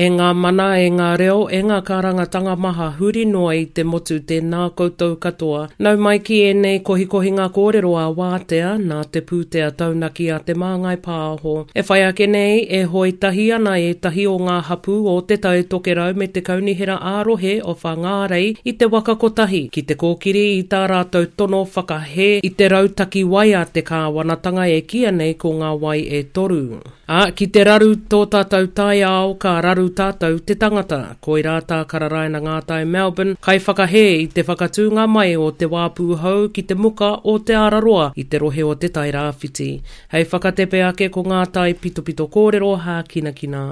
E ngā mana, e ngā reo, e ngā kārangatanga maha huri noa i te motu tēnā koutou katoa. Nau mai ki ēnei kohikohinga kōrero a Wātea, nā te pūtea taunaki a Te Māngai Pāho. E whai ake nei, e hoe tahi ana ētahi o ngā hapū o Te Tai Tokerau me te Kaunihera ā-Rohe o Whangārei i te waka kotahi, ki te kōkiri i tā rātou tono whakahē i te rautaki wai a te kāwanatanga e kīia nei ko Ngā Wai e Toru. Ā, ki te raru tō tātou taiao, ka raru tātou te tangata. Koirā tā Kararaina Ngātai Melbourne, kaiwhakahē i te whakatūnga mai o te wāpū hou ki te muka o Te Araroa i te rohe o Te Tairāwhiti. Hei whakatepe ake ko ngā taipitopito kōrero hākinakina.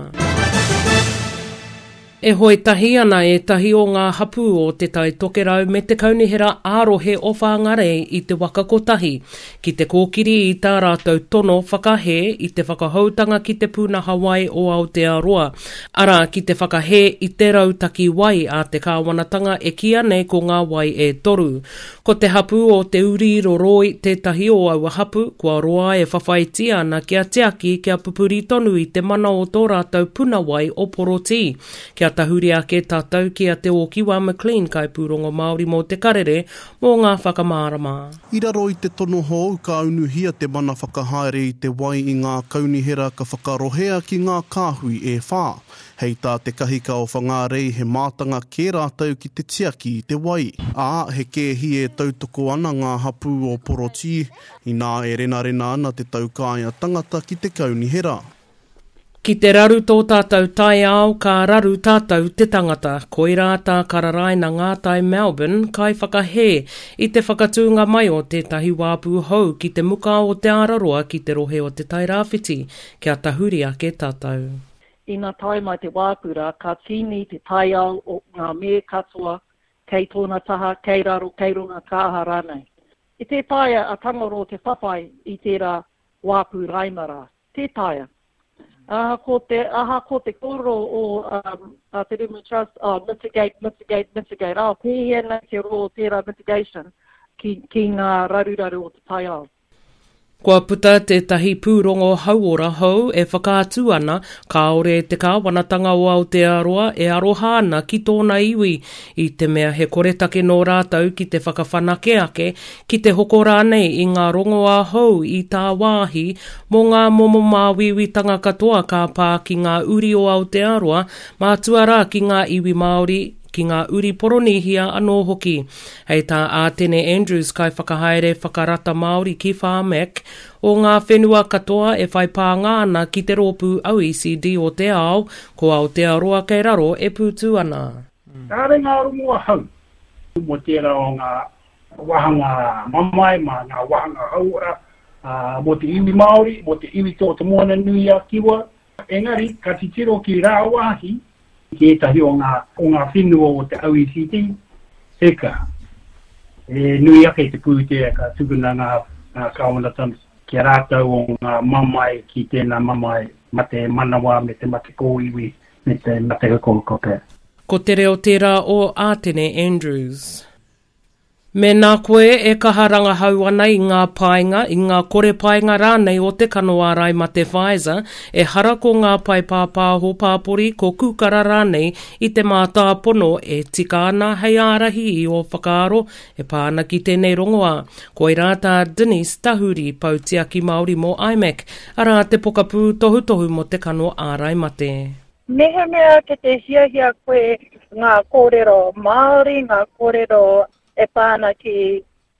E hoe tahi ana ētahi o ngā hapū o Te Tai Tokerau me te Kaunihera ā-Rohe o Whangarei i te waka kotahi ki te kōkiri i tā rātou tono whakahē i te whakahoutanga ki te pūnaha wai o Aotearoa, arā, ki te whakahē i te rautaki wai a te kāwanatanga e kīia nei ko Ngā Wai e Toru. Ko te hapū o Te Uri Roroi tētahi o aua hapū, kua roa e whawhaitia ana kia tiaki, kia pupuri tonu i te mana o tō rātou puna wai o Porotī. Kia tahuri ake tātou ki a Te Ōkiwa McLean, kaipūrongo Māori mō Te Karere, mō ngā whakamārama. I raro i te tono hou ka unuhia te mana whakahaere i te wai i ngā kaunihera ka whakarohea ki ngā kāhui e whā. Hei tā te kahika o Whangārei he mātanga kē rātou ki te tiaki i te wai. Ā, he kēhi e tautoko ana ngā hapū o Porotī, inā e renarena ana te taukaea tangata ki te kaunihera. Ki te raru tō tātou taiao, ka raru tātou te tangata. Koirā tā Kararaina Ngātai Melbourne, kaiwhakahē i te whakatūnga mai o tētahi wāpū hou ki te muka o Te Araroa ki te rohe o Te Tairāwhiti, kia tahuri ake tātou. Ina tae mai te wāpura, ka tīni te taiao o ngā me katoa kei tōna taha, kei raro, kei runga, ka aha rānei. E tē taea a Tangaroa te whawhai i tērā wāpu raima rā. Tē taea. Ahakoa te, ahakoa te kōrero o um, a Te Rimu Trust, oh, mitigate, mitigate, mitigate, oh, pēhea nei te roa o tērā mitigation ki, ki ngā raruraru o te taiao. Kua puta tētahi pūrongo hauora hou e whakaatu ana kāore te kāwanatanga o Aotearoa e aroha ana ki tōna iwi, i te mea he koretake nō rātou ki te whakawhanake ake, ki te hoko rānei i ngā rongoā hou i tāwāhi mō ngā momo māuiuitanga katoa ka pā ki ngā uri o Aotearoa, mātua rā ki ngā iwi Māori, ki ngā uri Poronīhia anō hoki. Hei tā Ātene Andrews, Kaiwhakahaere Whakarata Māori ki Pharmac, o ngā whenua katoa e whai pānga ana ki te rōpū OECD o te ao, ko Aotearoa kei raro e pūtū ana. Kāre ngā rongoa hau mō tērā o ngā wāhanga mamae, mā ngā wāhanga hauora, mō te iwi Māori, mō te iwi tō Te Moana-nui-a-Kiwa, Engari, ka titiro ki rāwāhi, ki ētahi o ngā, o ngā whenua o te OECD, eka, he nui ake te pūtea ka tukuna ngā, ngā kāwanatanga ki a rātou o ngā mamae ki tēnā mamae mate manawa me te mate kōiwi me te mate hukohuko pea. Ko te reo tērā o Ātene Andrews. Mēnā koe e kaha rangahau ana i ngā painga, i ngā kore painga rānei o te kano ārai mate Pfizer, ehara ko ngā pae pāpāho pāpori, ko Kūkara rānei i te mātāpono e tika ana hei ārahi i ō whakaaro e pā ana ki tēnei rongoā. Koirā tā Denise Tahuri, Pou Tiaki Māori mō IMAC, arā te pokapū tohutohu mō te kano ārai mate. Mehemea ki te hiahia koe ngā kōrero Māori, ngā kōrero e pā ana ki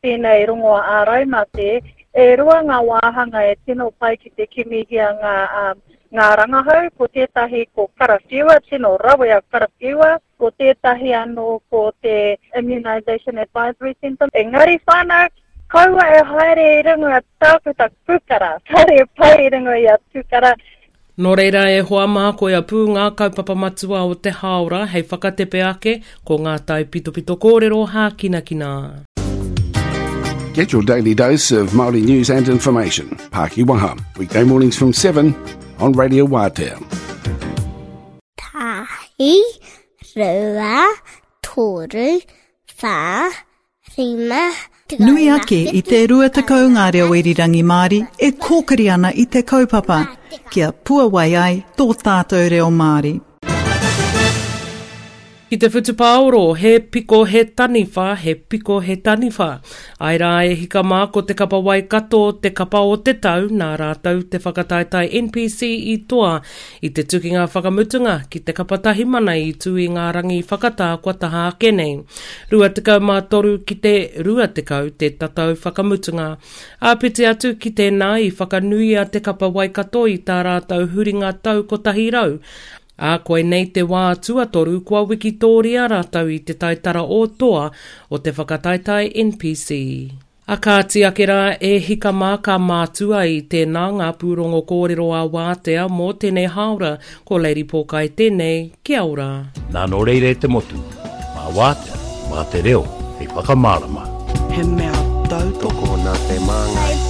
tēnei rongoa āraimate, e rua ngā wāhanga e tino pai ki te kimihia ngā, um, ngā rangahau, ko tētahi ko Karawhiua, tino rawe a Karawhiua, ko tētahi anō ko te Immunisation Advisory Centre. Engari whānau, kaua e haere i runga tākuta Kūkara, kāre e pai i runga i a Kūkara, Nō reira e hoa mā koia pū ngā kaupapa matua o te hāora hei whakatepe ake ko ngā taipitopito kōrero hākinakina. Get your daily dose of Māori news and information. Pāki Waha, weekday mornings from 7 on Radio Wātea. Tahi, rua, toru, whā, Nui ake i te 20 ngā reo irirangi Māori e kōkiri ana i te kaupapa kia puawai ai tō tātou reo Māori. Ki te whutupaoro, he piko he taniwha, he piko he taniwha. Ae rā e hika mā ko te kapa Waikato te kapa o te tau nā rātou te whakataetae NPC i toa i te tukinga whakamutunga ki te kapa Tahimana i tū i ngā rangi whakatā kua taha ake nei. 23 ki te 20 te tatau whakamutunga. Āpiti atu ki tēnā i whakanuia te kapa Waikato i tā rātou huringa tau 100, Ā, koinei te wā tuatoru kua wikitōria rātou i te taitara o toa o te whakataetae NPC. A kāti ake rā e hika mā ka mātua i tēnā ngā pūrongo kōrero a Wātea mō tēnei hāora, ko Lady Pōkai tēnei, kia ora. Nā nō reira e te motu, mā Wātea, mā te reo hei whakamārama. He mea tautoko nā Te Māngai.